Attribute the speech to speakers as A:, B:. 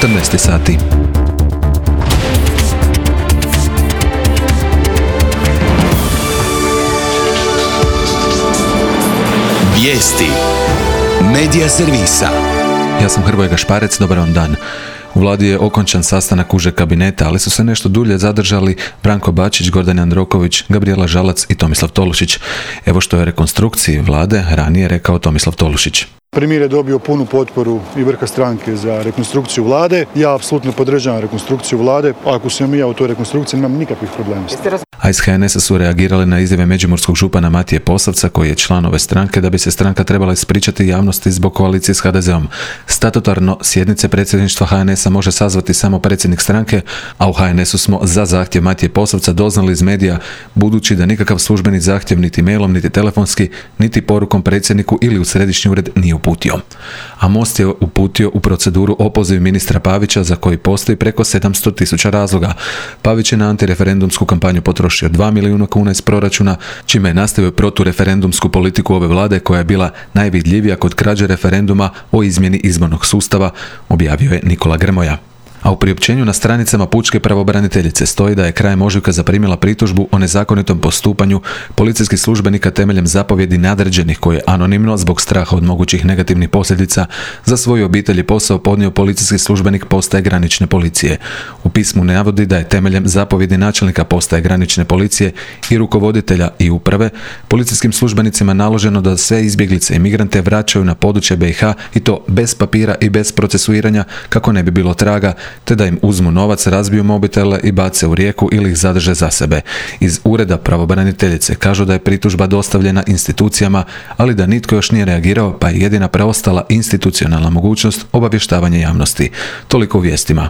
A: 14 sati.
B: Vijesti Medija servisa.
A: Ja sam Hrvoje Gašparec, dobar vam dan. U vladi je okončan sastanak užeg kabineta, ali su se nešto dulje zadržali Branko Bačić, Gordan Jandroković, Gabrijela Žalac i Tomislav Tolušić. Evo što je rekonstrukciji vlade ranije rekao Tomislav Tolušić.
C: Premijer je dobio punu potporu i vrha stranke za rekonstrukciju vlade. Ja apsolutno podržavam rekonstrukciju vlade. Ako sam ja u toj rekonstrukciji, nemam nikakvih problema.
A: A iz HNS-a su reagirali na izjave međimurskog župana Matije Posavca, koji je član ove stranke, da bi se stranka trebala ispričati javnosti zbog koalicije s HDZ-om. Statutarno sjednice predsjedništva HNS-a može sazvati samo predsjednik stranke, a u HNS-u smo za zahtjev Matije Posavca doznali iz medija, budući da nikakav službeni zahtjev niti mailom, niti telefonski, niti porukom predsjedniku ili u središnji ured nije uputio. A Most je uputio u proceduru opoziv ministra Pavića, za koji postoji preko 700.000 razloga. Pavić je na antireferendumsku kampanju potrošio 2 milijuna kuna iz proračuna, čime je nastavio protureferendumsku politiku ove vlade, koja je bila najvidljivija kod krađe referenduma o izmjeni izbornog sustava, objavio je Nikola Grmoja. A u priopćenju na stranicama pučke pravobraniteljice stoji da je krajem ožujka zaprimila pritužbu o nezakonitom postupanju policijskih službenika temeljem zapovjedi nadređenih, koje je anonimno zbog straha od mogućih negativnih posljedica za svoju obitelj i posao podnio policijski službenik postaje granične policije. U pismu navodi da je temeljem zapovjedi načelnika postaje granične policije i rukovoditelja i uprave policijskim službenicima naloženo da sve izbjeglice i migrante vraćaju na područje BiH, i to bez papira i bez procesuiranja, kako ne bi bilo traga, te da im uzmu novac, razbiju mobitele i bace u rijeku ili ih zadrže za sebe. Iz ureda pravobraniteljice kažu da je pritužba dostavljena institucijama, ali da nitko još nije reagirao, pa je jedina preostala institucionalna mogućnost obavještavanje javnosti. Toliko u vijestima.